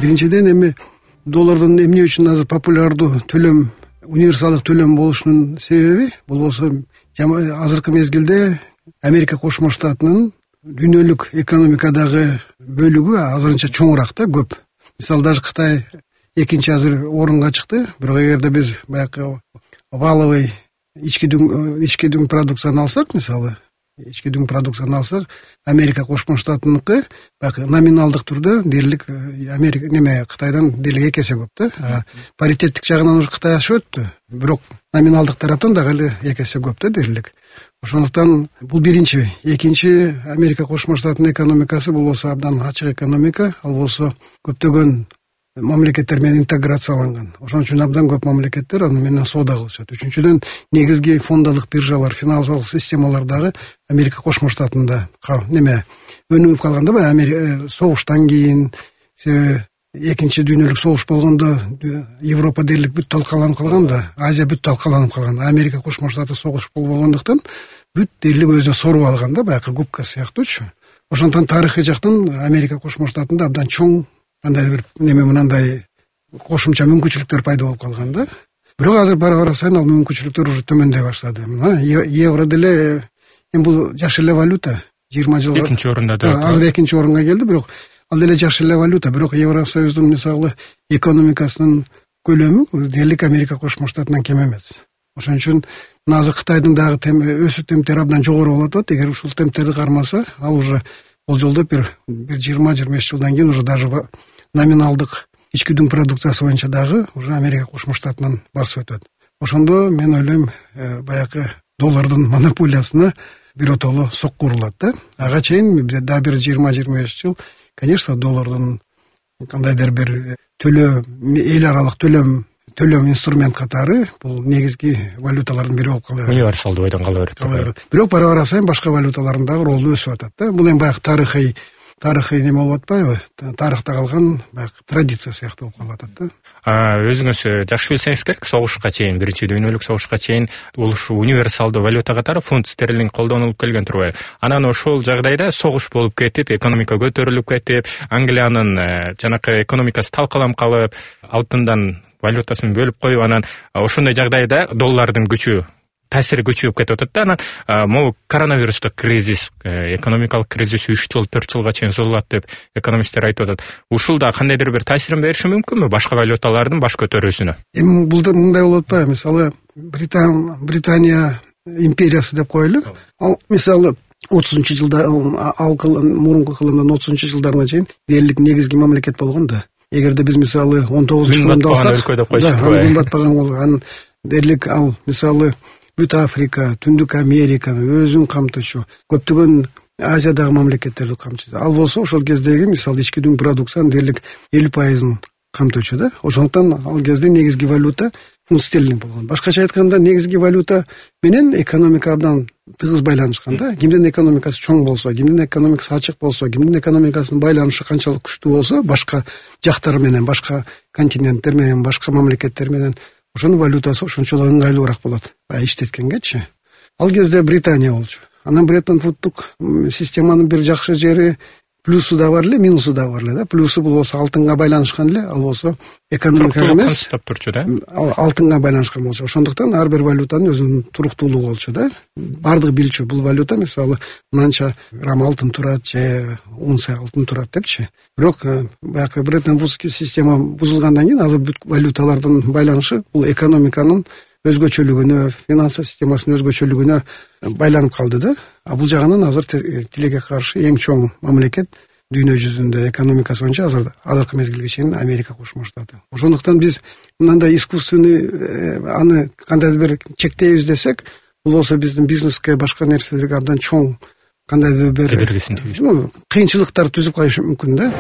Биринчиден эми доллардын эмне үчүн азыр популярдуу төлөм, универсалдык төлөм болушунун себеби бул болсо азыркы мезгилде Америка Кошмо Штатынын дүйнөлүк экономикадагы бөлүгү азырынча чоңураак да, көп. Мисалы даже Кытай экинчи азыр орунга чыкты, бирок эгерде биз баягы валовый ички дүң продукцияны алсак, мисалы ички дүң продукцияны алсак, Америка Кошмо Штатыныкы баягы номиналдык түрдө дээрлик Америка Кытайдан дээрлик 2 эсе көп да. Паритеттик жагынан уже Кытай ашып өттү, бирок номиналдык тараптан дагы эле 2 эсе көп да дээрлик. Ошондуктан бул биринчи. Экинчи, Америка Кошмо Штатынын экономикасы бул болсо абдан ачык экономика, ал болсо көптөгөн мамлекеттер менен интеграцияланган. Ошон үчүн абдан көп мамлекеттер аны менен соода кылышат. Үчүнчүдөн, негизги фондалык биржалар, финансылык системалар дагы Америка Кошмо Штатында өнүгүп калганда, баягы согуштан кийин, экинчи дүйнөлүк согуш болгондо Европа дээрлик бүт талкаланып калган да, Азия бүт талкаланып калган. Америка Кошмо Штаты согуш болбогондуктан бүт дээрлик өзүнө соруп алган да, баягы губка сыяктуучу. Ошондуктан тарыхый жактан Америка Кошмо Штатында абдан чоң кандайдыр бир мындай кошумча мүмкүнчүлүктөр пайда болуп калган да. Бирок азыр бара сайын ал мүмкүнчүлүктөр уже төмөндөй баштады. Евро деле бул жакшы эле валюта. 20 жылга экинчи орунда да. Азыр экинчи орунга келди, бирок ал деле жакшы эле валюта. Бирок Евросоюздун мисалы экономикасынын көлөмү дээрлик Америка Кошмо Штатынан кем эмес. Ошон үчүн азыр Кытайдын дагы өсүү темптери абдан жогору болуп атат. Эгер ушул темптерди кармаса, ал уже болжолдоп бир 20-25 жылдан кийин уже даже номиналдык ички дүң продукциясы боюнча дагы уже Америка Кошмо Штатынан басып өтөт. Ошондо мен ойлойм, баягы доллардын монополиясына биротоло сокку урулат да. Ага чейин да бир 20-25 жыл, конечно, доллардын кандайдыр бир эл аралык төлөм инструмент катары бул негизги валюталардын бири болуп кала берет. Универсалдуу бойдон кала берет. Бирок бара сайын башка валюталардын дагы ролу өсүп атат да. Бул эми баягы тарыхый неме болуп атпайбы? Тарыхта калган баягы традиция сыяктуу болуп калып атат да. Өзүңүз жакшы билсеңиз керек, согушка чейин, биринчи дүйнөлүк согушка чейин ушу универсалдуу валюта катары фунт стерлинг колдонулуп келген турбайбы? Анан ошол жагдайда согуш болуп кетип, экономика көтөрүлүп кетип, Англиянын жанакы экономикасы талкаланып калып, алтындан валютасын бөлүп коюп, анан ошондой жагдайда доллардын таасири күчөйүп кетип атат да. Анан могу коронавирустук кризис, экономикалык кризис 3 жыл, 4 жылга чейин созулат деп экономисттер айтып атат. Ушул да кандайдыр бир таасирин бериши мүмкүнбү башка валюталардын баш көтөрүүсүнө? Эми бул да мындай болуп атпайбы? Мисалы Британия империясы деп коелу. Ал мисалы 30-жылда мурунку кылымдан 30-жылдарына чейин дээрлик негизги мамлекет болгон да. Эгерде биз мисалы 19-кылымда алсак, батпаган болгон, анан дээрлик ал мисалы бүт Африка, Түндүк Американы өзүн камтычу, көптөгөн Азиядагы мамлекеттерди камтычу. Ал болсо ошол кездеги мисалы ички дүң продукциянын дээрлик 50%-ын камтычу да. Ошондуктан ал кезде негизги валюта фунт стерлинг болгон. Башкача айтканда, негизги валюта менен экономика абдан тыгыз байланышкан да. Кимдин экономикасы чоң болсо, кимдин экономикасы ачык болсо, кимдин экономикасынын байланышы канчалык күчтүү болсо, башка жактар менен, башка континенттер менен, башка мамлекеттер менен ошонун валютасы ошончолук ыңгайлуураак болот. Иштеткенгечи. Ал кезде Британия болчу. Анан Бреттон Вудтук системанын бир жакшы жери плюсу да бар эле, минусу да бар эле да. Плюсу бул болсо алтынга байланышкан эле, ал болсо экономика эмес, турчу да. Алтынга байланышкан болчу. Ошондуктан ар бир валютанын өзүнүн туруктуулугу болчу да. Бардыгы билчү бул валюта мисалы мынанча грамм алтын турат же унция алтын турат депчи. Бирок баягы Бреттон Вудский система бузулгандан кийин азыр бүт валюталардын байланышы бул экономиканын өзгөчөлүгүнө, финансы системасынын өзгөчөлүгүнө байланып калды да. А бул жагынан азыр тилекке каршы эң чоң мамлекет дүйнө жүзүндө экономикасы боюнча азыркы мезгилге чейин Америка Кошмо Штаты. Ошондуктан биз мындай искусственный аны кандайдыр бир чектейбиз десек, бул болсо биздин бизнеске, башка нерселерге абдан чоң кандайдыр бир кыйынчылыктар түзүп коюшу мүмкүн да.